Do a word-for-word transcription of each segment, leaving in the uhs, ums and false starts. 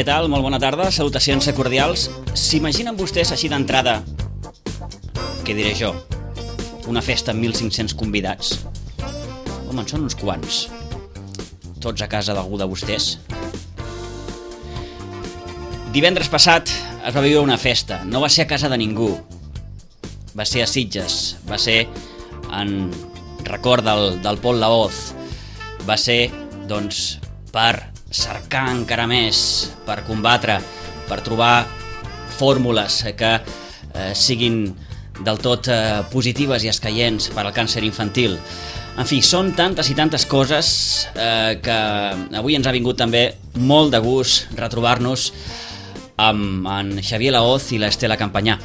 Què tal? Molt bona tarda, salutacions cordials. S'imaginen vostès així d'entrada, què diré jo, una festa amb mil cinc-cents convidats? Home, en són uns quants. Tots a casa d'algú de vostès. Divendres passat es va viure una festa. No va ser a casa de ningú. Va ser a Sitges. Va ser en record del, del Pol Laoz. Va ser, doncs, per cercar encara més, per combatre, per trobar fórmules que eh, siguin del tot eh, positives i escaients per al càncer infantil. En fi, són tantes i tantes coses eh, que avui ens ha vingut també molt de gust retrobar-nos amb en Xavier Laoz i l'Estela Campanyà.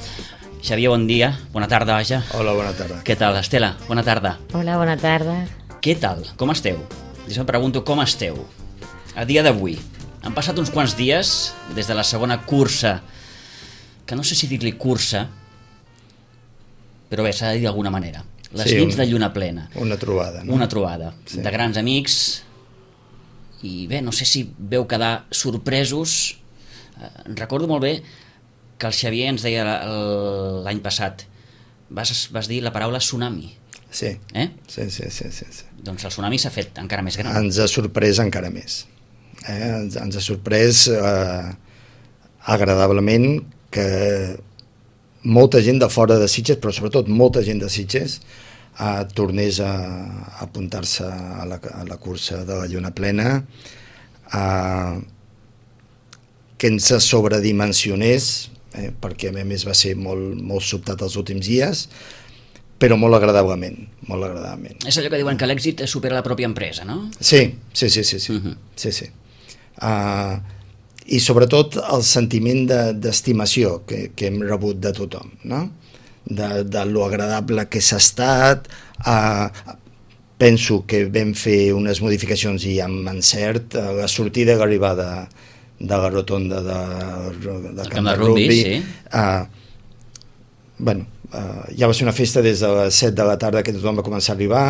Xavier, bon dia, bona tarda, vaja. Hola, bona tarda. Què tal, Estela? Bona tarda. Hola, bona tarda. Què tal? Com esteu? Jo em pregunto com esteu a dia d'avui. Han passat uns quants dies des de la segona cursa, que no sé si dir-li cursa, però bé, s'ha de dir d'alguna manera. Les Sí, nits un- de lluna plena. Una trobada, no? Una trobada Sí. de grans amics i bé, no sé si veu quedar sorpresos. Eh, recordo molt bé que el Xavier ens deia l- l'any passat, vas, vas dir la paraula tsunami, Sí. eh? Sí, sí, sí, sí, sí. Doncs el tsunami s'ha fet encara més gran. Ens ha sorprès encara més. Eh? Ens, ens ha sorprès eh, agradablement que molta gent de fora de Sitges, però sobretot molta gent de Sitges, eh, tornés a, a apuntar-se a la, a la cursa de la lluna plena, eh, que ens sobredimensionés, eh, perquè a més va ser molt, molt sobtat els últims dies, però molt agradablement, molt agradablement. És allò que diuen que l'èxit supera la pròpia empresa, no? Sí, sí, sí, sí, sí. Mhm. sí, sí. Uh, I sobretot el sentiment de- d'estimació que, que hem rebut de tothom, no? De, de lo agradable que s'ha estat. Uh, penso que vam fer unes modificacions i amb encert. Uh, la sortida i l'arribada de la rotonda de, de Camp de Rugby, sí. Uh, bueno, uh, ja va ser una festa des de les set de la tarda que tothom va començar a arribar.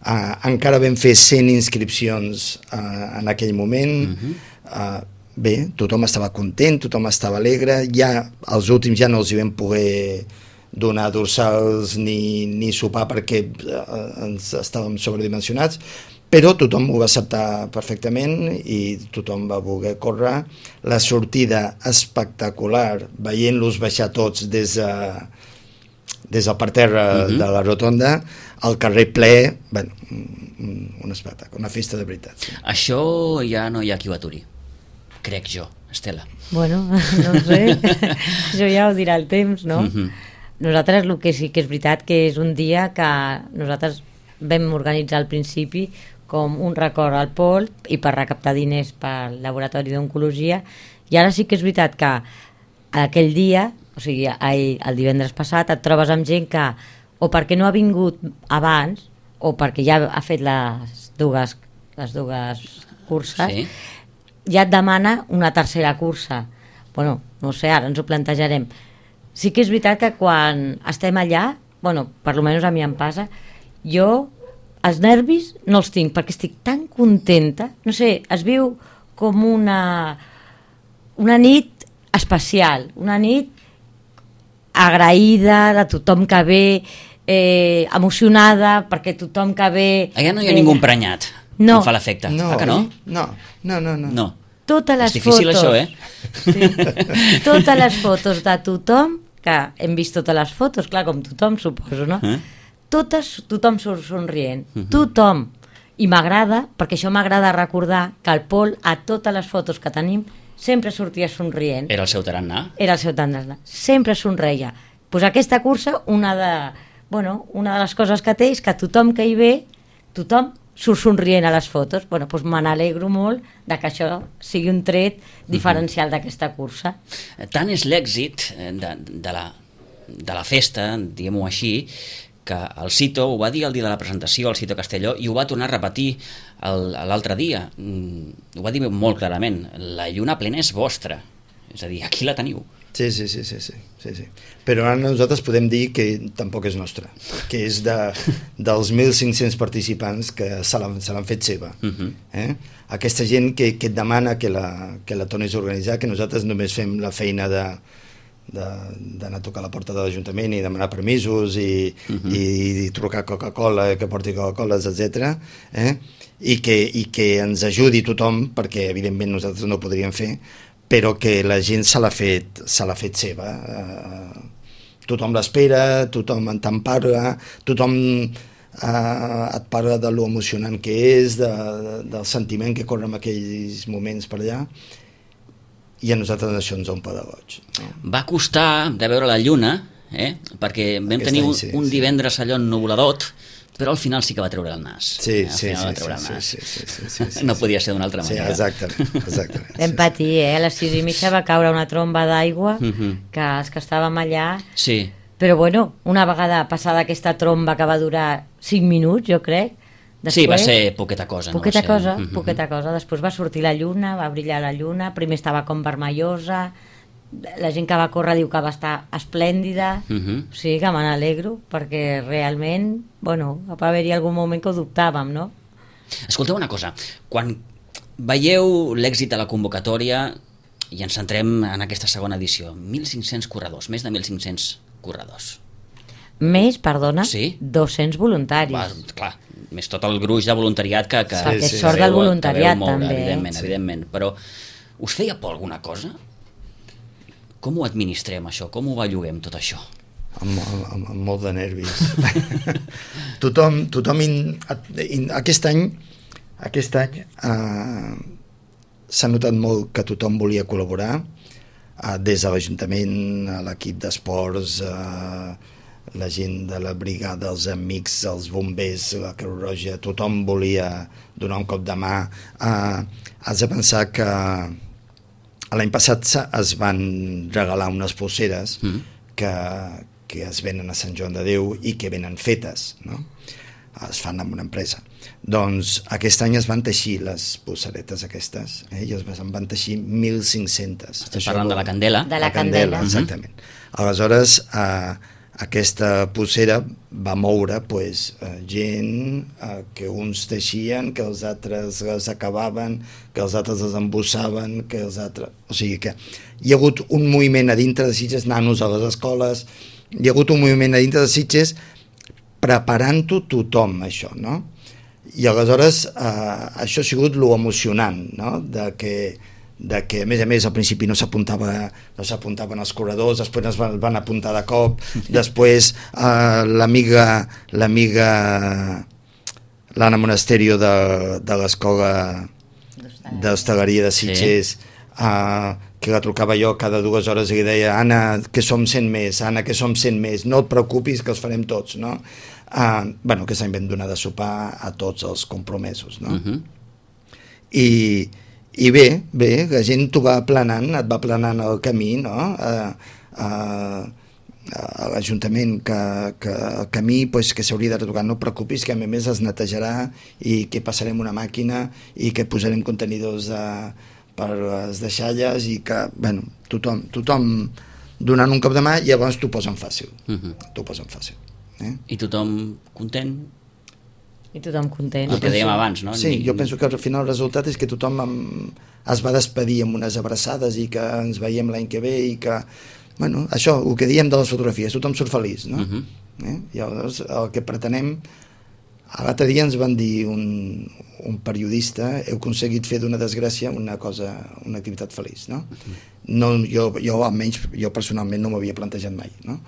Uh, encara vam fer cent inscripcions uh, en aquell moment. Mhm. uh, bé, tothom estava content, tothom estava alegre. Ja els últims ja no els hi vam poder donar dorsals ni, ni sopar perquè uh, ens estàvem sobredimensionats, però tothom ho va acceptar perfectament i tothom va voler córrer. La sortida espectacular, veient-los baixar tots des de, des del parterre Mhm. de la rotonda, al carrer ple, bueno, un, un espectacle, una festa de veritat. Sí. Això ja no hi ha qui ho aturi, crec jo, Estela. Bueno, no ho sé, això ja ho dirà el temps, no? Mhm. Nosaltres el que sí que és veritat que és un dia que nosaltres vam organitzar al principi com un record al Pol i per recaptar diners pel laboratori d'oncologia, i ara sí que és veritat que aquell dia, o sigui, ahir, el divendres passat, et trobes amb gent que o perquè no ha vingut abans o perquè ja ha fet les dues, les dues curses, Sí. ja et demana una tercera cursa. Bueno, no sé, ara ens ho plantejarem. Sí que és veritat que quan estem allà, bueno, per lo menos a mi em passa, jo els nervis no els tinc perquè estic tan contenta, no sé, es viu com una una nit especial, una nit agraïda de tothom que ve, eh, emocionada perquè tothom que ve... Allà no hi ha ve- ningú emprenyat. No. Em fa l'efecte. No, Ah, que no? no, no, no, no. No. Totes les És difícil fotos, això, eh? Sí. Totes les fotos de tothom, que hem vist totes les fotos, clar, com tothom, suposo, no? Eh? Totes, tothom surt somrient, Mhm. tothom. I m'agrada, perquè això m'agrada recordar que el Pol, a totes les fotos que tenim, sempre sortia somrient. Era el seu tarannà. Era el seu tendrena. Sempre somreia. Pues aquesta cursa, una de, bueno, una de les coses que té és que tothom que hi ve, tothom surt somrient a les fotos. Bueno, doncs me n'alegro molt de que això sigui un tret diferencial d'aquesta cursa. Tant és l'èxit eh, de, de, la, de la festa, diguem-ho així, que el Cito ho va dir el dia de la presentació, el Cito Castelló, i ho va tornar a repetir el- l'altre dia. Mm, ho va dir molt clarament. La lluna plena és vostra. És a dir, aquí la teniu. Sí, sí, sí, sí, sí, sí, sí. Però ara nosaltres podem dir que tampoc és nostra, que és de, dels mil cinc-cents participants que se l'han se l'han fet seva. Uh-huh. eh? Aquesta gent que, que et demana que la, que la tornis a organitzar, que nosaltres només fem la feina de d'anar a tocar a la porta de l'Ajuntament i demanar permisos i, uh-huh. i, i trucar Coca-Cola, que porti Coca-Coles, etcètera. Eh? I, que, i que ens ajudi tothom, perquè evidentment nosaltres no ho podríem fer, però que la gent se l'ha fet, se l'ha fet seva. Eh, tothom l'espera, tothom en te'n parla, tothom eh, et parla de lo emocionant que és, de, de, del sentiment que corre en aquells moments per allà, i a nosaltres això ens omple de goig. No? Va costar de veure la lluna, eh? Perquè vam Aquest tenir un, sí, un divendres allò ennuvoladot, però al final sí que va treure el nas. Sí, eh? sí, sí, va treure sí, el nas. sí, sí, sí, sí, sí, no podia ser d'una altra manera. Sí, exactament. exactament vam patir, eh? A les sis i mitja va caure una tromba d'aigua, uh-huh. que els que estàvem allà... Sí. Però bueno, una vegada passada aquesta tromba que va durar cinc minuts, jo crec, després, sí, va ser poqueta cosa. Poqueta no? cosa, uh-huh. poqueta cosa. Després va sortir la lluna, va brillar la lluna, primer estava com vermellosa, la gent que va córrer diu que va estar esplèndida, uh-huh. o sigui que me n'alegro, perquè realment, bueno, va haver-hi algun moment que ho dubtàvem, no? Escolteu una cosa, quan veieu l'èxit de la convocatòria i ens centrem en aquesta segona edició, mil cinc-cents corredors, més de mil cinc-cents corredors. Més, perdona, sí? dos-cents voluntaris. Va, clar, més tot el gruix de voluntariat que... que sí, sí, és sort del voluntariat, moure, també. Evidentment, sí. evidentment. Però us feia por alguna cosa? Com ho administrem, això? Com ho belluguem, tot això? Amb, amb, amb molt de nervis. tothom, tothom in, in, aquest any, aquest any eh, s'ha notat molt que tothom volia col·laborar, eh, des de l'Ajuntament, l'equip d'esports, eh, la gent de la brigada, els amics, els bombers, la Creu Roja, tothom volia donar un cop de mà. Eh, has de pensar que l'any passat es van regalar unes polseres mm. que, que es venen a Sant Joan de Déu i que venen fetes, no? Es fan amb una empresa. Doncs aquest any es van teixir les polseretes aquestes, eh? I es van teixir mil cinc-cents. Estem parlant de la Candela? De la, la Candela, Candela exactament. Uh-huh. Aleshores, eh, aquesta polsera va moure pues, eh, gent eh, que uns teixien, que els altres les acabaven, que els altres les embossaven, que els altres... O sigui que hi ha hagut un moviment a dintre de Sitges, nanos a les escoles, hi ha hagut un moviment a dintre de Sitges preparant-ho tothom, això, no? I aleshores eh, això ha sigut lo emocionant, no? De que de que a més a més al principi no s'apuntava no s'apuntaven els corredors, després es van, van apuntar de cop, després eh, l'amiga l'amiga l'Anna Monasterio de, de l'escola d'hostaleria de Sitges, sí. eh, que la trucava jo cada dues hores i li deia Anna, que som cent més, Anna, que som cent més, no et preocupis que els farem tots, no? Eh, bueno, que s'han ben donar de sopar a tots els compromesos, no? Uh-huh. I I bé, bé, la gent t'ho va aplanant, et va aplanant el camí, no? A, a, a l'Ajuntament, que, que el camí pues, que s'hauria de retocar, no et preocupis, que a més es netejarà i que passarem una màquina i que posarem contenidors de, per les deixalles i que, bueno, tothom, tothom donant un cop de mà i llavors t'ho posen fàcil. Uh-huh. T'ho posen fàcil. Eh? I tothom content? I tothom content. El que dèiem abans, no? Sí, jo penso que al final el resultat és que tothom amb, es va despedir amb unes abraçades i que ens veiem l'any que ve i que, bueno, això, el que diem de les fotografies, tothom surt feliç, no? Uh-huh. eh? I llavors el que pretenem, l'altre dia ens van dir un, un periodista, heu aconseguit fer d'una desgràcia una cosa, una activitat feliç, no? Uh-huh. No jo, jo almenys, jo personalment no m'havia plantejat mai, no?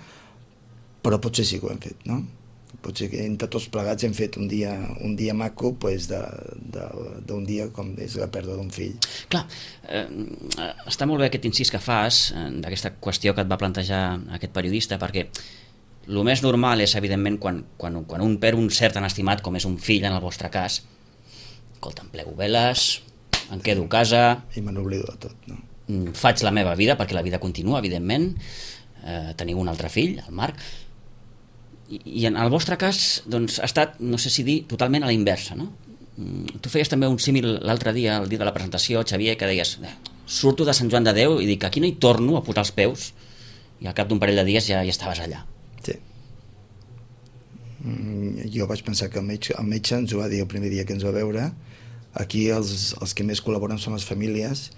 Però potser sí que ho hem fet, no? Potser que entre tots plegats hem fet un dia, un dia maco pues, d'un dia com és la pèrdua d'un fill. Clar, eh, està molt bé aquest incís que fas eh, d'aquesta qüestió que et va plantejar aquest periodista, perquè el més normal és, evidentment, quan, quan, quan un perd un cert tan estimat com és un fill en el vostre cas, escolta, em plego veles, em quedo a casa... I me n'oblido de tot, no? Faig la meva vida, perquè la vida continua, evidentment, eh, teniu un altre fill, el Marc, i en el vostre cas doncs, ha estat, no sé si dir, totalment a la inversa, no? Tu feies també un símil l'altre dia, el dia de la presentació, Xavier, que deies, eh, surto de Sant Joan de Déu i dic, aquí no hi torno a posar els peus, i al cap d'un parell de dies ja, ja estaves allà. Sí. Mm, jo vaig pensar que el metge, el metge ens ho va dir el primer dia que ens va veure. Aquí els, els que més col·laboren són les famílies,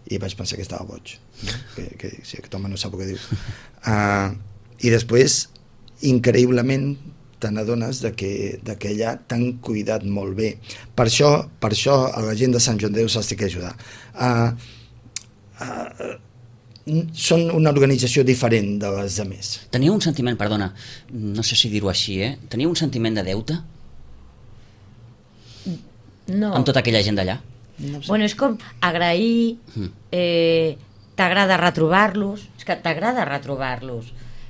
i vaig pensar que estava boig, no? que, que si aquest home no sap el que diu. Uh, I després, increïblement, te n'adones de que, de que allà t'han cuidat molt bé. Per això, per això a la gent de Sant Joan de Déu se'ls té que ajudar. Uh, uh, són una organització diferent de les altres. Teniu un sentiment, perdona, no sé si dir-ho així, eh? Teniu un sentiment de deute? No. Amb tota aquella gent d'allà? No sé. Bueno, és com agrair, eh, t'agrada retrobar-los, és que t'agrada retrobar-los.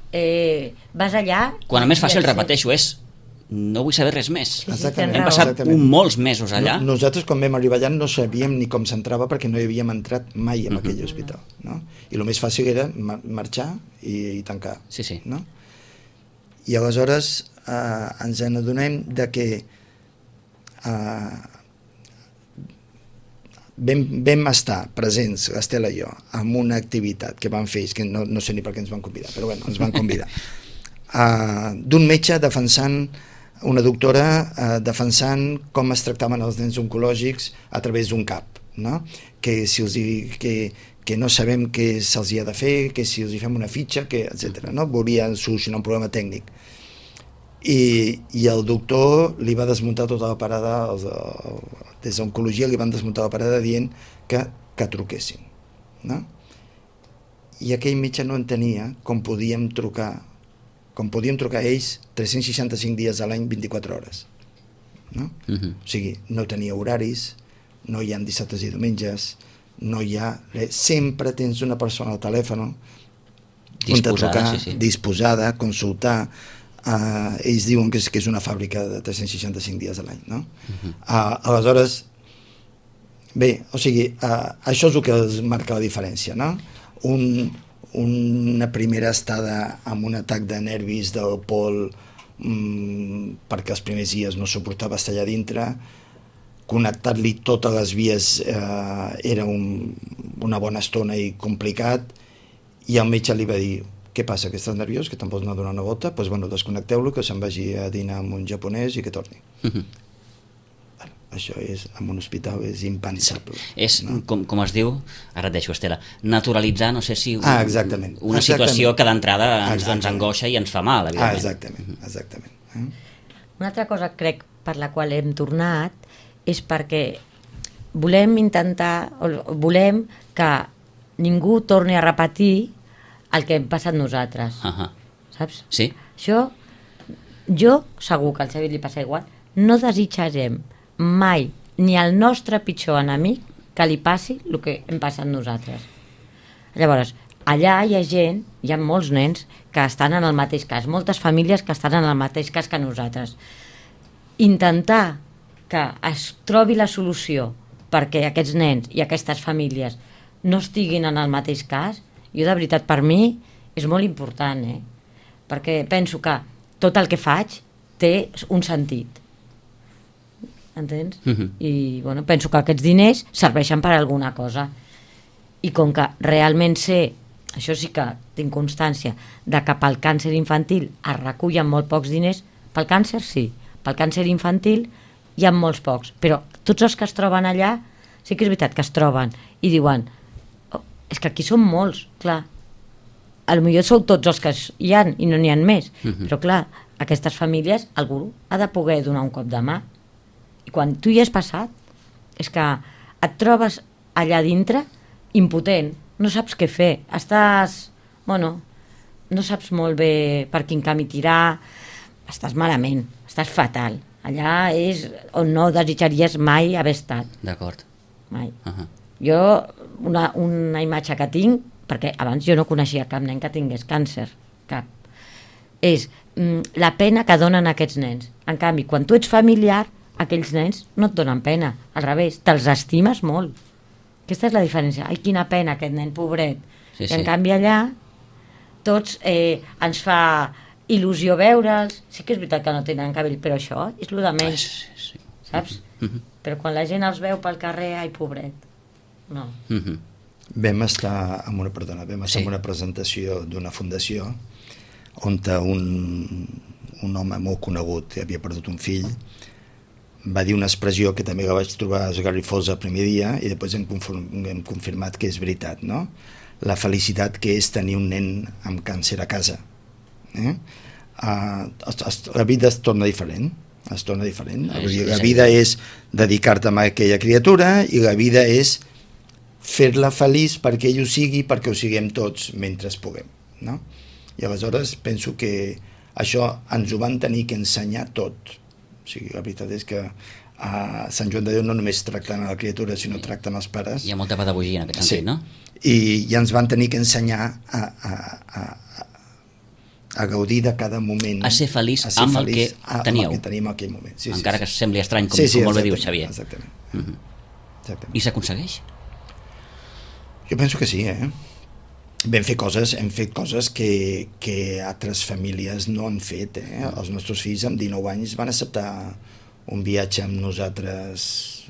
Eh, vas allà... Quan a més fàcil, repeteixo, és no vull saber res més. Sí, sí, Hem passat un, molts mesos allà. No, nosaltres, quan vam arribar allà, no sabíem ni com s'entrava perquè no hi havíem entrat mai en uh-huh. aquell hospital. No? I el més fàcil era ma- marxar i, i tancar. Sí, sí. No? I aleshores eh, ens n'adonem de que eh, vam, vam estar presents, l'Estela i jo, en una activitat que van fer, que no, no sé ni per què ens van convidar, però bueno, ens van convidar, uh, d'un metge defensant, una doctora uh, defensant com es tractaven els nens oncològics a través d'un cap, no? Que si els hi, que, que no sabem què se'ls hi ha de fer, que si els hi fem una fitxa, que, etcètera. No? Volien solucionar un problema tècnic. I, i el doctor li va desmuntar tota la parada, els, el, des d'oncologia li van desmuntar la parada dient que, que truquessin, no? I aquell metge no entenia com podíem trucar com podíem trucar a ells tres-cents seixanta-cinc dies a l'any, vint-i-quatre hores, no? Uh-huh. O sigui, no tenia horaris, no hi ha dissabtes i diumenges, no hi ha res. Sempre tens una persona al telèfon disposada, trucar, sí, sí. disposada, consultar. Uh, ells diuen que és, que és una fàbrica de tres-cents seixanta-cinc dies a l'any, no? Uh-huh. uh, aleshores bé, o sigui uh, això és el que es marca la diferència, no? Un, una primera estada amb un atac de nervis del Pol um, perquè els primers dies no suportava estar allà dintre, connectar-li totes les vies uh, era un, una bona estona i complicat, i el metge li va dir: què passa, que estàs nerviós, que te'n vols anar a donar una volta? Doncs pues, bueno, desconnecteu-lo, que se'n vagi a dinar amb un japonès i que torni. Uh-huh. Bueno, això és, en un hospital és impensable. És, no? com, com es diu, ara et deixo, Estela, naturalitzar, no sé si un, ah, exactament. una exactament. situació que d'entrada ens, ens angoixa i ens fa mal, evidentment. Ah, exactament, exactament. Eh? Una altra cosa, crec, per la qual hem tornat, és perquè volem intentar, volem que ningú torni a repetir el que hem passat nosaltres. Uh-huh. Saps? Sí. Això, jo, segur que al Xavi li passa igual, no desitjarem mai ni al nostre pitjor enemic que li passi el que hem passat nosaltres. Llavors, allà hi ha gent, hi ha molts nens que estan en el mateix cas, moltes famílies que estan en el mateix cas que nosaltres. Intentar que es trobi la solució perquè aquests nens i aquestes famílies no estiguin en el mateix cas, jo de veritat per mi és molt important, eh? Perquè penso que tot el que faig té un sentit, entens? Uh-huh. I bueno, penso que aquests diners serveixen per alguna cosa, i com que realment sé, això sí que tinc constància de que pel càncer infantil es recullen molt pocs diners, pel càncer sí, pel càncer infantil hi ha molts pocs, però tots els que es troben allà sí que és veritat que es troben i diuen: és que aquí són molts, clar, potser sou tots els que hi ha i no n'hi ha més, uh-huh. però clar, aquestes famílies algú ha de poder donar un cop de mà, i quan tu hi has passat és que et trobes allà dintre impotent, no saps què fer, estàs, bueno, no saps molt bé per quin camí tirar, estàs malament, estàs fatal, allà és on no desitjaries mai haver estat. D'acord. Mai. Uh-huh. Jo, una, una imatge que tinc, perquè abans jo no coneixia cap nen que tingués càncer, cap, és mm, la pena que donen aquests nens. En canvi, quan tu ets familiar, aquells nens no et donen pena, al revés, te'ls estimes molt. Aquesta és la diferència. Ai, quina pena aquest nen, pobret. Sí, I en sí. canvi allà tots eh, ens fa il·lusió veure'ls. Sí que és veritat que no tenen cabell, però això és el de menys, Ah, sí, sí. saps? Uh-huh. Però quan la gent els veu pel carrer, ai, pobret. No. Uh-huh. Vam estar en una, perdona, vam estar Sí. en una presentació d'una fundació on un, un home molt conegut, que havia perdut un fill, va dir una expressió que també la vaig trobar esgarrifosa el primer dia i després hem, conform, hem confirmat que és veritat, no? La felicitat que és tenir un nen amb càncer a casa. Eh? Uh, es, es, la vida es torna diferent, es torna diferent. Sí, La sí. vida és dedicar-te a aquella criatura i la vida és fer-la feliç perquè ell ho sigui, perquè ho siguem tots mentre puguem, no? I aleshores penso que això ens ho van tenir que ensenyar tot. O sigui, la veritat és que a Sant Joan de Déu no només tracten a la criatura, sinó tracten els pares. Hi ha molta pedagogia en aquest sentit, Sí. no? I, i ens van tenir que ensenyar a, a, a, a gaudir de cada moment, A ser feliç a ser amb el feliç que a- teníeu. amb el que tenim en aquell moment. Sí, Encara sí, que sí. sembli estrany, com, Sí, sí, com molt bé diu exactament, Xavier. Exactament. Mhm. exactament. I s'aconsegueix? Jo penso que sí, eh? Vam fer coses, hem fet coses que, que altres famílies no han fet, eh? Els nostres fills amb dinou anys van acceptar un viatge amb nosaltres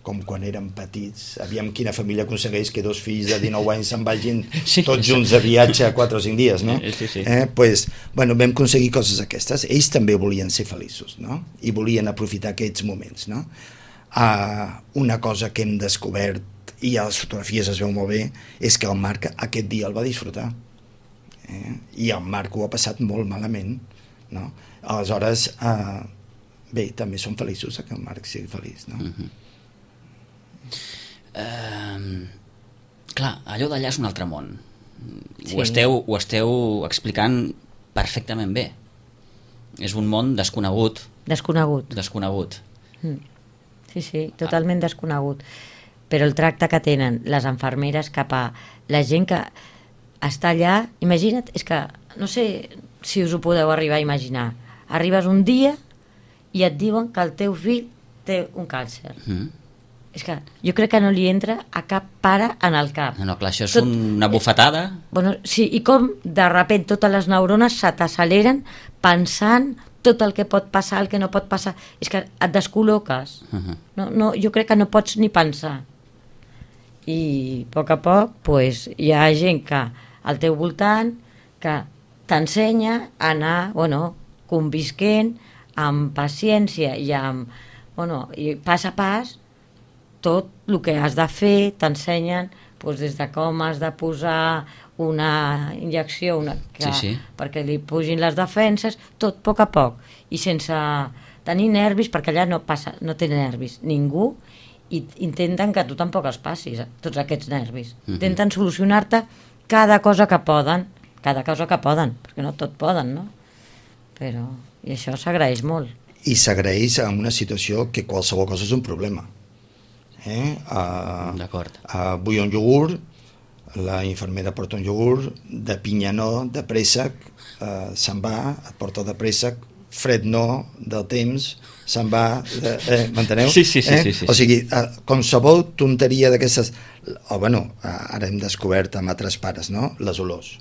com quan érem petits. Aviam quina família aconsegueix que dos fills de dinou anys se'n vagin Sí. tots junts de viatge a quatre o cinc dies, no? Sí, sí. Eh? Pues, bueno, vam aconseguir coses aquestes. Ells també volien ser feliços, no? I volien aprofitar aquests moments, no? Uh, una cosa que hem descobert, i a les fotografies es veu molt bé, és que el Marc aquest dia el va disfrutar. Eh? I el Marc ho ha passat molt malament, no? Aleshores, uh, bé, també som feliços que el Marc sigui feliç, no? Mhm. Uh, clar, allò d'allà és un altre món. Sí. Ho, esteu, ho esteu explicant perfectament bé. És un món desconegut, Desconegut. desconegut. Mm. Sí, sí, totalment desconegut. Però el tracte que tenen les infermeres cap a la gent que està allà, imagina't, és que no sé si us ho podeu arribar a imaginar. Arribes un dia i et diuen que el teu fill té un càncer. Mm. És que jo crec que no li entra a cap pare en el cap. No, no, clar, això és Tot- una bufetada. Bueno, sí, i com de repent totes les neurones se t'acceleren pensant tot el que pot passar, el que no pot passar. És que et descol·loques. Uh-huh. No, no, jo crec que no pots ni pensar. I a poc a poc pues, hi ha gent que al teu voltant que t'ensenya a anar bueno, convisquent amb paciència i amb bueno, i pas a pas tot el que has de fer, t'ensenyen pues, des de com has de posar una injecció una, que, Sí, sí. perquè li pugin les defenses, tot a poc a poc i sense tenir nervis, perquè allà no passa, no té nervis ningú, i intenten que tu tampoc els passis, tots aquests nervis. Mhm. Intenten solucionar-te cada cosa que poden, cada cosa que poden, perquè no tot poden, no? Però, i això s'agraeix molt. I s'agraeix en una situació que qualsevol cosa és un problema. Eh? Uh, D'acord. uh, vull un iogurt, la infermera porta un iogurt, de pinya no, de préssec, uh, se'n va, et porta de préssec, fred no, del temps, se'n va, de, eh, m'enteneu? Sí, sí, sí, eh? sí, sí, O sí. sigui, uh, qualsevol tonteria d'aquestes... O, bueno, uh, ara hem descobert amb altres pares, no?, les olors.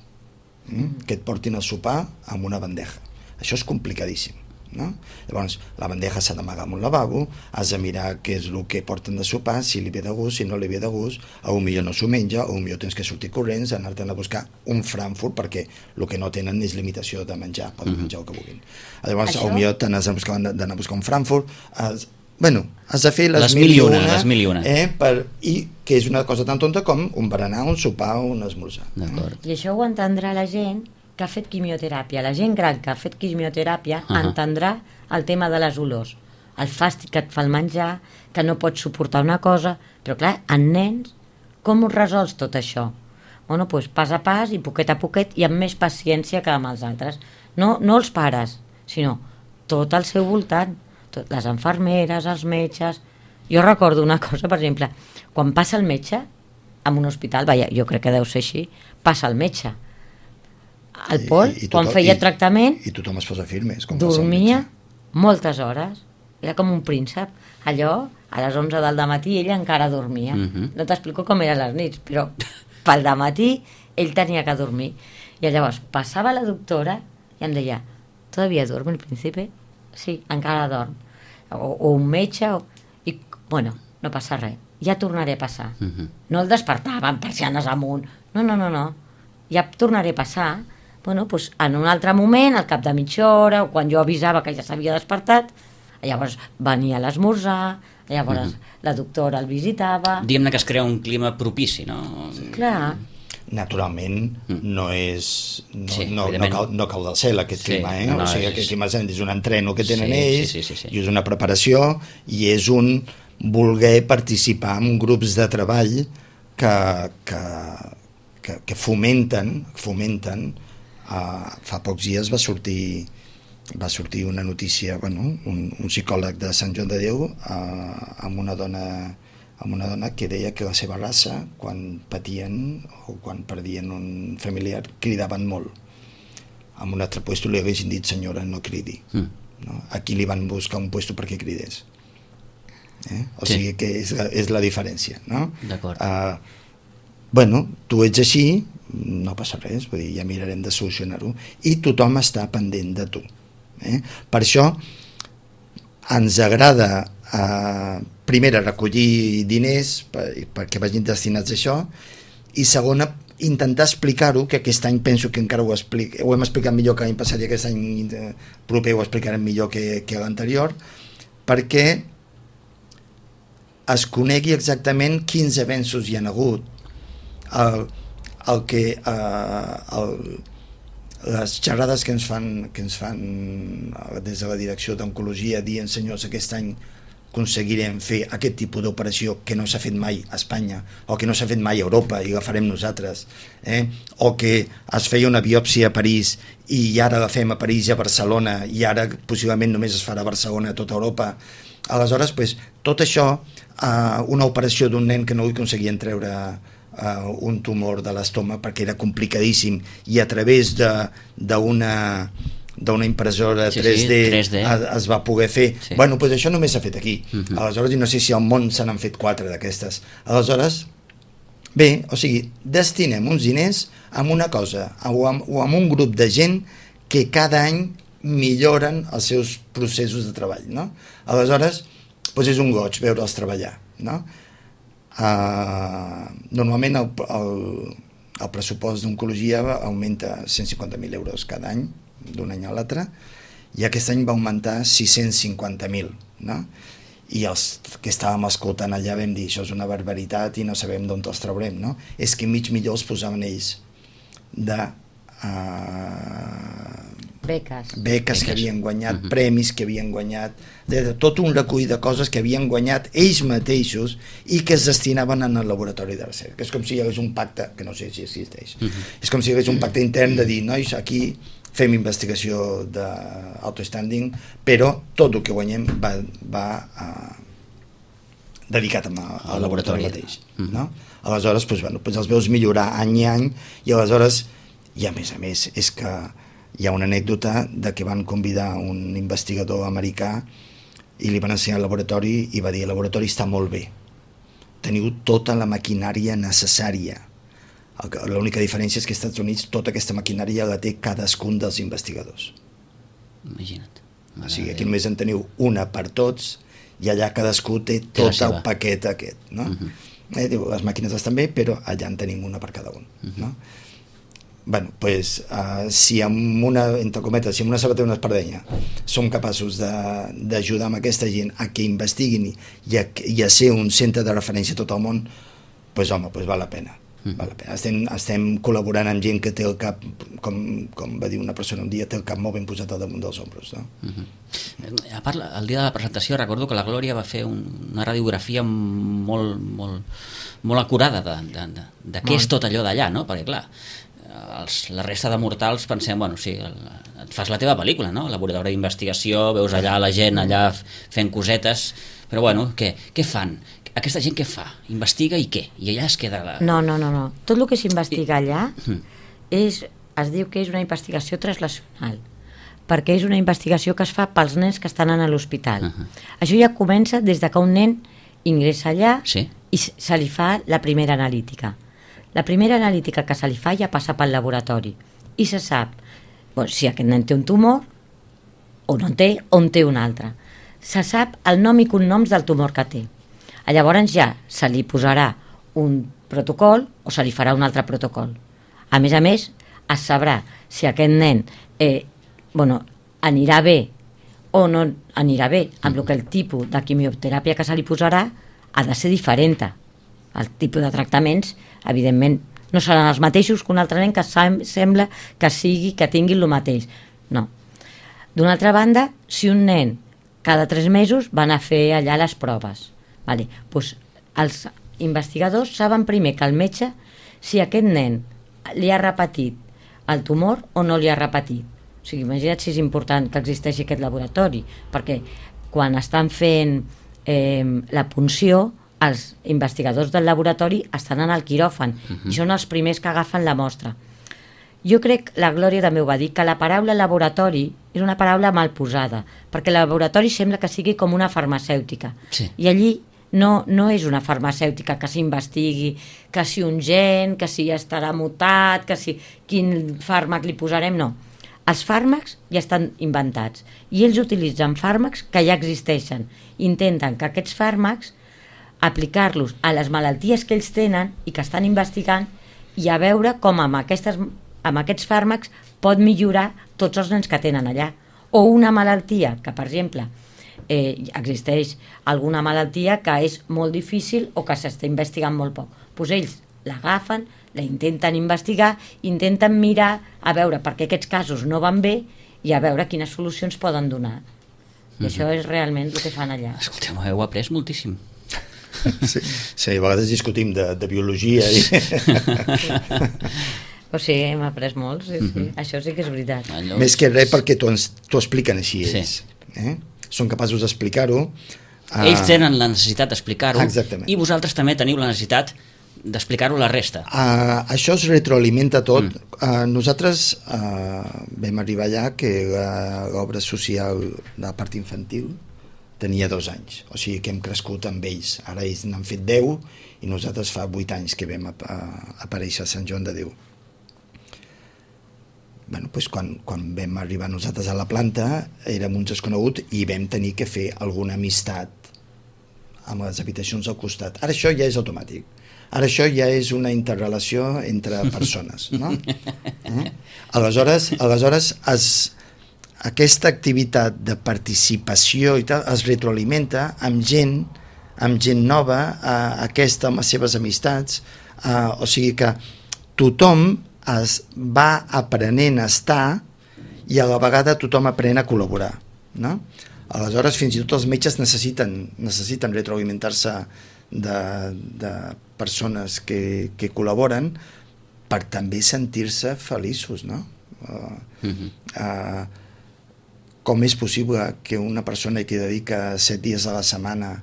Mm? Que et portin a sopar amb una bandeja. Això és complicadíssim, no? Llavors, la bandeja s'ha d'amagar en un lavabo, has de mirar què és el que porten de sopar, si li ve de gust, si no li ve de gust, a un millor no s'ho menja, a un millor tens que sortir corrents, anar-te'n a buscar un Frankfurt, perquè el que no tenen és limitació de menjar, poden Mhm. menjar el que vulguin. Llavors, Això- a un millor te n'has de buscar, d'anar a buscar un Frankfurt, has, bueno, has de fer les, Les mil i una, les mil i una. Eh, per, i que és una cosa tan tonta com un berenar, un sopar o un esmorzar. D'acord. I això ho entendrà la gent que ha fet quimioteràpia. La gent gran que ha fet quimioteràpia Ahà. entendrà el tema de les olors, el fàstic que et fa el menjar, que no pots suportar una cosa, però clar, en nens, com ho resols tot això? Bueno, doncs pas a pas i poquet a poquet i amb més paciència que amb els altres. No, no els pares, sinó tot al seu voltant, tot, les infermeres, els metges... Jo recordo una cosa, per exemple, quan passa el metge en un hospital, vaja, jo crec que deu ser així, passa el metge. El Pol, I- i quan tothom- feia i- tractament, I tothom es posa firmes. Com passa el dormia metge. moltes hores. Era com un príncep. Allò, a les onze del matí, ell encara dormia. Mhm. No t'explico com eren les nits, però pel matí ell tenia que dormir. I llavors passava la doctora i em deia, ¿todavía duerme el príncipe? Sí, encara dorm. O, o un metge, o... i bueno, no passa res. ja tornaré a passar. Uh-huh. No el despertava amb persianes amunt. No, no, no, no. Ja tornaré a passar. Bueno, doncs en un altre moment, al cap de mitja hora, o quan jo avisava que ja s'havia despertat, llavors venia a l'esmorzar, llavors uh-huh. la doctora el visitava... Diguem-ne que es crea un clima propici, no? Sí. Clar. Naturalment mm. no és no, sí, no, no, cau, no cau del cel aquest sí, clima, eh? No, o sigui, és... aquest clima és un entreno que tenen sí, ells sí, sí, sí, sí. i és una preparació i és un voler participar en grups de treball que, que, que, que fomenten fomenten uh, fa pocs dies va sortir va sortir una notícia, bueno, un, un psicòleg de Sant Joan de Déu uh, amb una dona amb una dona que deia que la seva raça, quan patien o quan perdien un familiar, cridaven molt. En un altre puesto li haguessin dit, senyora, no cridi. Mm. No? Aquí li van buscar un puesto perquè cridés. Eh? O sí. sigui que és la, és la diferència. No? D'acord. Uh, bueno, tu ets així, no passa res, vull dir, ja mirarem de solucionar-ho, i tothom està pendent de tu. Eh? Per això ens agrada Uh, primera, recollir diners per, perquè vagin destinats a això, i segona, intentar explicar-ho, que aquest any penso que encara ho, explic, ho hem explicat millor que l'any passat i aquest any proper ho explicarem millor que, que l'anterior, perquè es conegui exactament quins avenços hi ha hagut, el, el que uh, el, les xerrades que ens fan, que ens fan des de la direcció d'Oncologia dient, senyors, aquest any aconseguirem fer aquest tipus d'operació que no s'ha fet mai a Espanya o que no s'ha fet mai a Europa i la farem nosaltres, eh? O que es feia una biòpsia a París i ara la fem a París i a Barcelona i ara possiblement només es farà a Barcelona a tota Europa. Aleshores, pues, tot això, eh, una operació d'un nen que no li aconseguien treure eh, un tumor de l'estómac perquè era complicadíssim i a través d'una d'una impressora sí, tres D, sí, tres D. Es, es va poder fer. Sí. Bueno, doncs això només s'ha fet aquí. Uh-huh. Aleshores, i no sé si al món se n'han fet quatre d'aquestes. Aleshores, bé, o sigui, destinem uns diners a una cosa, o amb, o amb un grup de gent que cada any milloren els seus processos de treball, no? Aleshores, doncs és un goig veure'ls treballar, no? Uh, normalment el, el, el pressupost d'oncologia augmenta cent cinquanta mil euros cada any, d'un any a l'altre, i aquest any va augmentar sis-cents cinquanta mil, no? I els que estàvem escoltant allà vam dir, això és una barbaritat i no sabem d'on els traurem, no? És que mig milió els posaven ells de uh, beques. beques que havien guanyat, uh-huh. premis que havien guanyat, de, de tot un recull de coses que havien guanyat ells mateixos i que es destinaven en el laboratori de recerca. És com si hi hagués un pacte, que no sé si existeix, uh-huh. és com si hi hagués un pacte intern de dir, nois, aquí fem investigació d'autostanding, però tot el que guanyem va, va uh, dedicat al, al laboratori mateix. Mm-hmm. No? Aleshores, doncs, bueno, doncs els veus millorar any i any, i aleshores, i a més a més, és que hi ha una anècdota de que van convidar un investigador americà i li van ensenyar el laboratori i va dir, el laboratori està molt bé, teniu tota la maquinària necessària. L'única diferència és que als Estats Units tota aquesta maquinària la té cadascun dels investigadors. Imagina't. O sigui, aquí només en teniu una per tots i allà cadascú té tot el paquet aquest, no? Uh-huh. eh, diu, les màquines estan bé, però allà en tenim una per cada un, uh-huh. no? Bueno, pues, uh, si amb una, entre cometes, si amb una sabatera i una espardenya som capaços d'ajudar amb aquesta gent a que investiguin i a, i a ser un centre de referència a tot el món, pues, home, pues val la pena. Val la pena. Estem, estem col·laborant amb gent que té el cap, com, com va dir una persona un dia, té el cap molt ben posat al damunt dels ombros, no? Uh-huh. A part, el dia de la presentació recordo que la Glòria va fer un, una radiografia molt, molt, molt acurada de, de, de, de què és tot allò d'allà, no? Perquè clar, els, la resta de mortals pensem, bueno, sí, el, et fas la teva pel·lícula, no? Laboratori d'investigació, veus allà la gent allà fent cosetes, però bueno, què, què fan? Aquesta gent què fa? Investiga i què? I allà es queda... La... No, no, no, no. Tot el que s'investiga allà és, es diu que és una investigació translacional, perquè és una investigació que es fa pels nens que estan a l'hospital. Uh-huh. Això ja comença des de que un nen ingressa allà sí? i se li fa la primera analítica. La primera analítica que se li fa ja passa pel laboratori i se sap bueno, si aquest nen té un tumor o no en té, o en té un altre. Se sap el nom i cognoms del tumor que té. Llavors ja se li posarà un protocol o se li farà un altre protocol. A més a més, es sabrà si aquest nen eh, bueno, anirà bé o no anirà bé, amb el que el tipus de quimioteràpia que se li posarà ha de ser diferent. El tipus de tractaments, evidentment, no seran els mateixos que un altre nen que sem sembla que sigui, que tingui el mateix. No. D'una altra banda, si un nen cada tres mesos van a fer allà les proves, vale, doncs els investigadors saben primer que el metge si aquest nen li ha repetit el tumor o no li ha repetit. O sigui, imagina't si és important que existeixi aquest laboratori, perquè quan estan fent eh, la punció, els investigadors del laboratori estan en el quiròfan uh-huh. i són els primers que agafen la mostra. Jo crec, la Glòria també ho va dir, que la paraula laboratori és una paraula mal posada, perquè el laboratori sembla que sigui com una farmacèutica. Sí. I allí no, no és una farmacèutica que s'investigui, que si un gen, que si estarà mutat, que si quin fàrmac li posarem, no. Els fàrmacs ja estan inventats i ells utilitzen fàrmacs que ja existeixen. Intenten que aquests fàrmacs aplicar-los a les malalties que ells tenen i que estan investigant i a veure com amb, aquestes, amb aquests fàrmacs pot millorar tots els nens que tenen allà. O una malaltia que, per exemple, eh, existeix alguna malaltia que és molt difícil o que s'està investigant molt poc. Doncs ells l'agafen, la intenten investigar, intenten mirar a veure per què aquests casos no van bé i a veure quines solucions poden donar. I mm-hmm. això és realment el que fan allà. Escolteu, heu après moltíssim. Sí, sí, a vegades discutim de, de biologia i... o sigui, hem après molt, sí, sí. Mm-hmm. Això sí que és veritat. Allò... Més que res perquè t'ho expliquen així ells. Sí. Eh? Són capaços d'explicar-ho. Uh... Ells tenen la necessitat d'explicar-ho. Exactament. I vosaltres també teniu la necessitat d'explicar-ho a la resta. Uh, això es retroalimenta tot. Mm. Uh, nosaltres uh, vam arribar allà que l'obra social de la part infantil tenia dos anys, o sigui que hem crescut amb ells. Ara ells n'han fet deu i nosaltres fa vuit anys que vam ap aparèixer a Sant Joan de Déu. Bueno, doncs quan, quan vam arribar nosaltres a la planta érem uns desconeguts i vam tenir que fer alguna amistat amb les habitacions al costat. Ara això ja és automàtic. Ara això ja és una interrelació entre persones, no? Eh? Aleshores, aleshores es, aquesta activitat de participació i tal es retroalimenta amb gent, amb gent nova, eh, aquesta amb les seves amistats, eh, o sigui que tothom es va aprenent a estar i a la vegada tothom aprèn a col·laborar, no? Aleshores fins i tot els metges necessiten, necessiten retroalimentar-se de, de persones que, que col·laboren per també sentir-se feliços, no? Uh, uh-huh. uh, com és possible que una persona que dedica set dies a la setmana,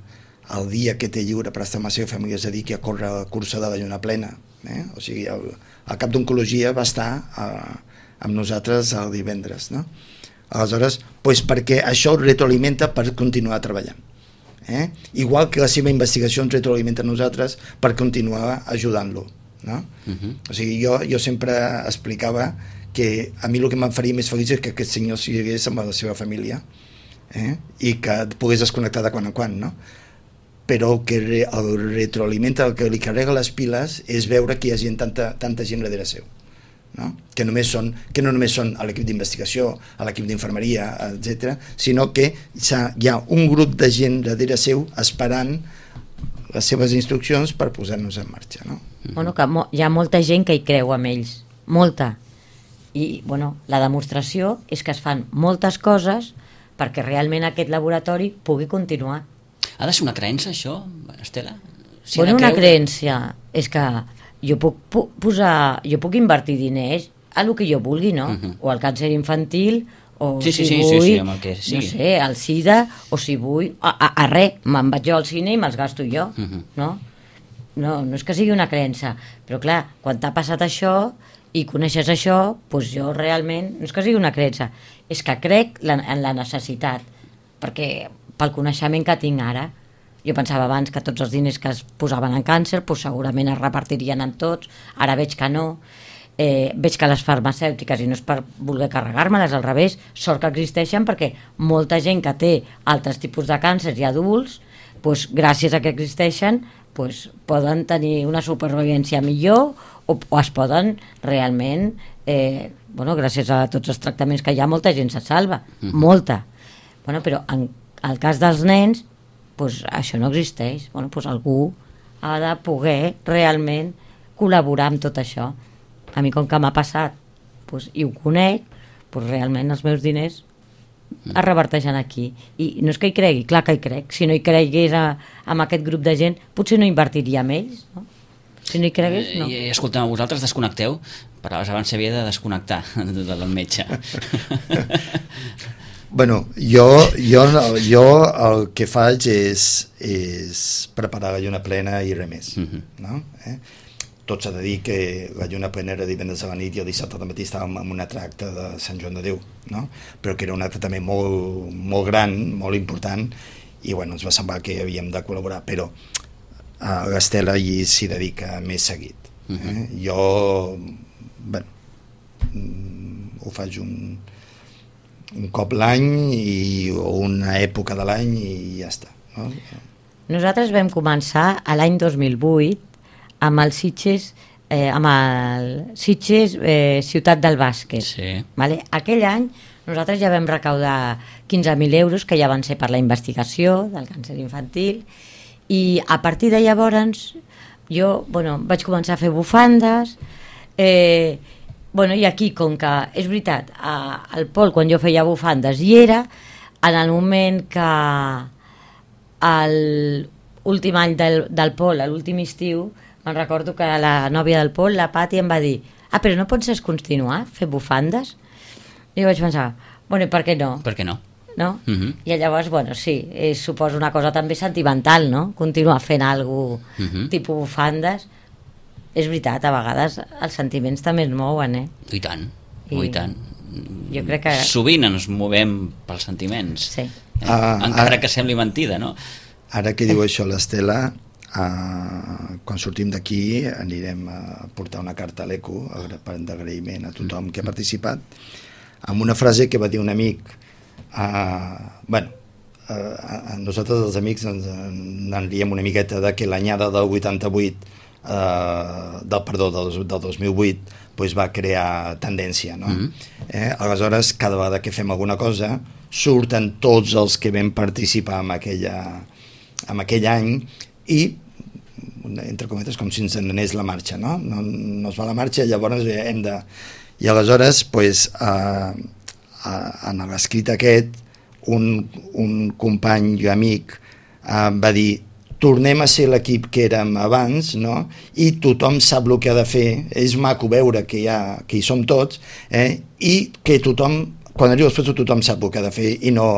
el dia que té lliure per estar amb la seva família, es dediqui a córrer la cursa de la lluna plena, eh? O sigui, el, el cap d'oncologia va estar uh, amb nosaltres el divendres, no? Aleshores, doncs perquè això el retroalimenta per continuar treballant. Eh? Igual que la seva investigació ens retroalimenta a nosaltres per continuar ajudant-lo, no? Uh-huh. O sigui, jo, jo sempre explicava que a mi el que em faria més feliç és que aquest senyor sigués amb la seva família, eh? I que pogués desconnectar de quan en quan, no? Però el que re, el retroalimenta, el que li carrega les piles és veure que hi ha gent, tanta, tanta gent darrere seu, no? Que, només són, que no només són a l'equip d'investigació, a l'equip d'infermeria, etcètera, sinó que hi ha un grup de gent darrere seu esperant les seves instruccions per posar-nos en marxa, no? Bueno, que hi ha molta gent que hi creu amb ells, molta. I bueno, la demostració és que es fan moltes coses perquè realment aquest laboratori pugui continuar. Ha de ser una creença, això, Estela? Si bueno, una creença és que jo puc, puc posar, jo puc invertir diners a el que jo vulgui, no? Uh-huh. O al càncer infantil, o sí, si sí, vull, sí, sí, amb el que sigui. No sé, al SIDA, o si vull, a, a, a res, me'n vaig jo al cine i me'ls gasto jo, uh-huh. no? No, no és que sigui una creença, però clar, quan t'ha passat això i coneixes això, doncs jo realment, no és que sigui una creença, és que crec la, en la necessitat, perquè pel coneixement que tinc ara, jo pensava abans que tots els diners que es posaven en càncer doncs segurament es repartirien en tots, ara veig que no, eh, veig que les farmacèutiques, i no és per voler carregar-me-les, al revés, sort que existeixen perquè molta gent que té altres tipus de càncer i adults doncs, gràcies a que existeixen, doncs, poden tenir una supervivència millor o, o es poden realment, eh, bueno, gràcies a tots els tractaments que hi ha, molta gent se salva, mm. molta. Bueno, però en el cas dels nens, doncs, això no existeix. Bueno, doncs, algú ha de poder realment col·laborar amb tot això. A mi, com que m'ha passat doncs, i ho conec, doncs, realment els meus diners es reverteixen aquí. I no és que hi cregui, clar que hi crec. Si no hi cregués a, amb aquest grup de gent, potser no invertiria en ells, no? Si no hi cregués, no. I, escolta'm, vosaltres desconnecteu? Parlaves abans s'havia de desconnectar del metge. Bueno, jo, jo, jo el que faig és, és preparar la lluna plena i res més. Uh-huh. No? Eh? Tot s'ha de dir que la lluna plena era divendres a la nit i el dissabte al matí estàvem en una tracta de Sant Joan de Déu, no? Però que era un acte també molt, molt gran, molt important, i bueno, ens va semblar que havíem de col·laborar, però uh, l'Estela hi s'hi dedica més seguit. Eh? Uh-huh. Jo, bueno, ho faig un, un cop l'any i, o una època de l'any i ja està. No? Nosaltres vam començar a l'any dos mil vuit amb el Sitges, eh, amb el Sitges eh, Ciutat del Bàsquet. Sí. Vale? Aquell any nosaltres ja vam recaudar quinze mil euros, que ja van ser per la investigació del càncer infantil, i a partir de llavors jo bueno, vaig començar a fer bufandes, eh, bueno, i aquí, com que és veritat, a, al Pol, quan jo feia bufandes hi era, en el moment que l'últim any del, del Pol, a l'últim estiu, me'n recordo que la nòvia del Pol, la Pati, em va dir: ah, però no pots continuar fer bufandes? I jo vaig pensar, bueno, i per què no? Per què no? No? Uh-huh. I llavors, bueno, sí, és, suposo una cosa també sentimental, no? Continuar fent alguna cosa uh-huh. tipus bufandes. És veritat, a vegades els sentiments també es mouen, eh? I tant, I, i tant. Jo crec que... Sovint ens movem pels sentiments, sí. eh? ah, encara ara, que sembli mentida, no? Ara que diu això l'Estela, Uh, quan sortim d'aquí anirem a portar una carta a l'Eco d'agraïment a tothom que ha participat, amb una frase que va dir un amic. Uh, bueno, uh, nosaltres els amics ens en riem una miqueta de que l'anyada del vuitanta-vuit uh, del, perdó, del, del dos mil vuit pues va crear tendència, no? Mm-hmm. eh, aleshores cada vegada que fem alguna cosa surten tots els que vam participar en, aquella, en aquell any i entre cometes com si ens anés la marxa, no? No, no es va la marxa, llavors hem de... I aleshores, pues, eh, en l'escrit aquest, un, un company i amic eh, va dir: tornem a ser l'equip que érem abans, no? I tothom sap el que ha de fer, és maco veure que, hi ha, que hi som tots, eh? I que tothom, quan arriba després tothom sap el que ha de fer i no...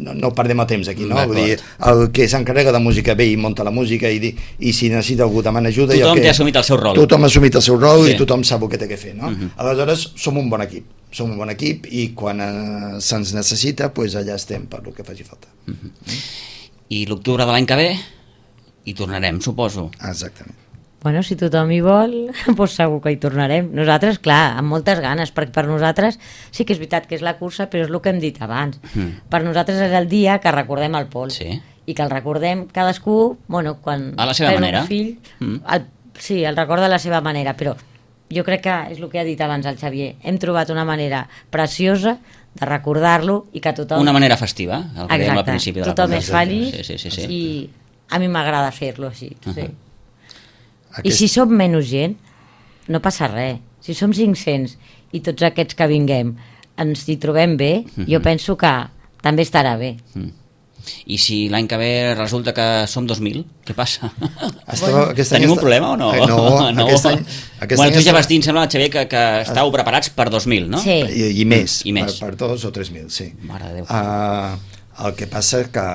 No, no perdem el temps aquí, no? Vull dir, el que s'encarrega de música ve i munta la música i, i si necessita algú demana ajuda. Tothom que, té assumit el seu rol. Tothom ha assumit el seu rol sí. I tothom sap el que té que fer, no? Uh-huh. Aleshores, som un bon equip. Som un bon equip i quan eh, se'ns necessita, pues allà estem per el que faci falta. Uh-huh. I l'octubre de l'any que ve hi tornarem, suposo. Exactament. Bueno, si tothom hi vol, doncs segur que hi tornarem. Nosaltres, clar, amb moltes ganes, perquè per nosaltres sí que és veritat que és la cursa, però és el que hem dit abans. Mm. Per nosaltres és el dia que recordem el Pol. Sí. I que el recordem cadascú, bueno, quan... A la seva manera. Un fill, mm. el, sí, el recorda a la seva manera, però jo crec que és el que ha dit abans el Xavier. Hem trobat una manera preciosa de recordar-lo i que tothom... Una manera festiva, el que dèiem al principi de la tothom és feliç sí, sí, sí, sí. I a mi m'agrada fer-lo així, uh-huh. sí. Aquest... I si som menys gent, no passa res. Si som cinc-cents i tots aquests que vinguem ens hi trobem bé, mm-hmm. jo penso que també estarà bé. Mm. I si l'any que ve resulta que som dos mil, què passa? Estava, Tenim un problema o no? Eh, no, no. Aquest any, aquest bueno, any tu ja vas dir, em sembla, Xavier, que, que estàveu preparats per dos mil, no? Sí. I, i més, I més. Per, per dos o tres mil, sí. Mare de Déu. Uh, el que passa que,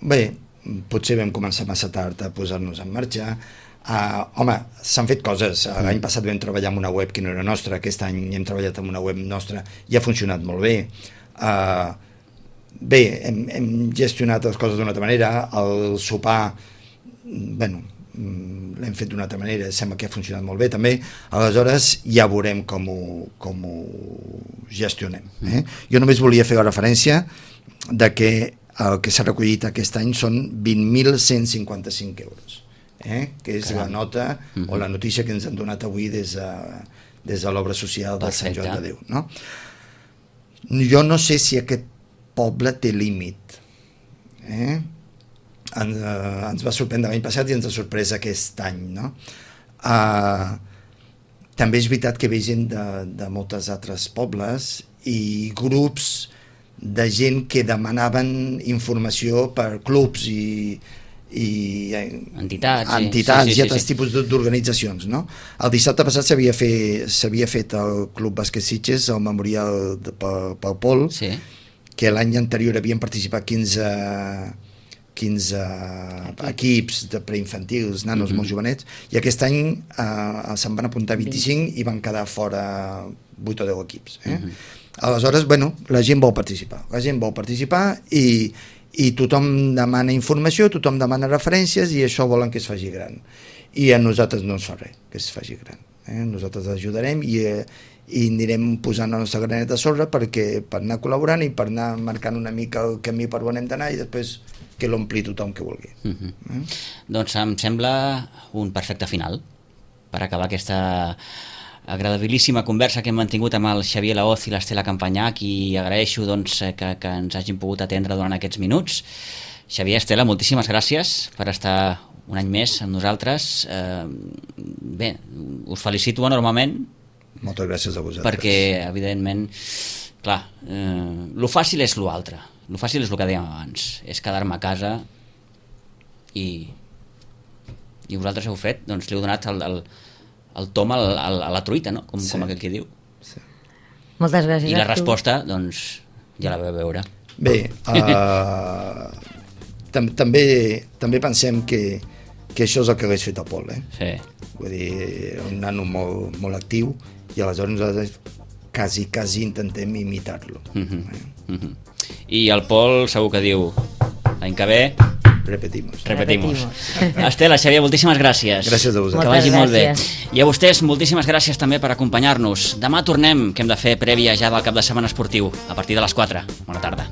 bé, potser vam començar massa tard a posar-nos en marxa. Uh, home, s'han fet coses. L'any passat vam treballar amb una web que no era nostra, aquest any hem treballat amb una web nostra i ha funcionat molt bé. Uh, bé, hem, hem gestionat les coses d'una altra manera, el sopar, bueno, l'hem fet d'una altra manera, sembla que ha funcionat molt bé també, aleshores ja veurem com ho, com ho gestionem. Eh? Jo només volia fer la referència de que el que s'ha recollit aquest any són vint mil cent cinquanta-cinc euros, eh? que és Caram. la nota uh -huh. o la notícia que ens han donat avui des de, des de l'obra social de Sant Joan de Déu. No? Jo no sé si aquest poble té límit. Eh? En, uh, ens va sorprendre l'any passat i ens ha sorprès aquest any. No? Uh, també és veritat que ve gent de, de moltes altres pobles i grups de gent que demanaven informació per clubs i, i entitats, entitats sí, sí, sí, i altres sí. tipus d'organitzacions. No? El dissabte passat s'havia fet, s'havia fet el Club Bàsquet Sitges, el memorial de, pel, pel Pol, sí. que l'any anterior havien participat quinze, quinze equips de preinfantils, nanos mm-hmm. molt jovenets, i aquest any eh, se'n van apuntar vint-i-cinc i van quedar fora vuit o deu equips. Eh? Mm-hmm. Aleshores, bueno, la gent vol participar, la gent vol participar i, i tothom demana informació, tothom demana referències i això volen que es faci gran. I a nosaltres no ens fa res que es faci gran. Eh? Nosaltres ajudarem i, eh, i anirem posant la nostra granet de sorra perquè, per anar col·laborant i per anar marcant una mica el camí per on hem d'anar i després que l'ompli tothom que vulgui. Mm-hmm. eh? Doncs em sembla un perfecte final per acabar aquesta agradabilíssima conversa que hem mantingut amb el Xavier Laoz i l'Estela Campanyà, i agraeixo doncs, que, que ens hagin pogut atendre durant aquests minuts. Xavier, Estela, moltíssimes gràcies per estar un any més amb nosaltres. Eh, bé, us felicito enormement. Moltes gràcies a vosaltres. Perquè, evidentment, clar, eh, lo fàcil és lo altre. Lo fàcil és el que dèiem abans, és quedar-me a casa i, i vosaltres heu fet, doncs li heu donat el, el el tom a la, a la truita, no? Com, sí. com aquell que diu. Sí. Moltes gràcies. I la resposta, doncs, ja la vau veure. Bé, uh, tam també també pensem que, que això és el que hagués fet el Pol, eh? Sí. Vull dir, un nano molt, molt actiu i aleshores nosaltres quasi, quasi intentem imitar-lo. Mm-hmm. eh? Mm-hmm. I el Pol segur que diu l'any que ve Repetimos. Repetimos. Estela, Xavier, moltíssimes gràcies. Gràcies a vosaltres. Que vagi molt bé. I a vostès, moltíssimes gràcies també per acompanyar-nos. Demà tornem, que hem de fer prèvia ja del cap de setmana esportiu, a partir de les quatre. Bona tarda.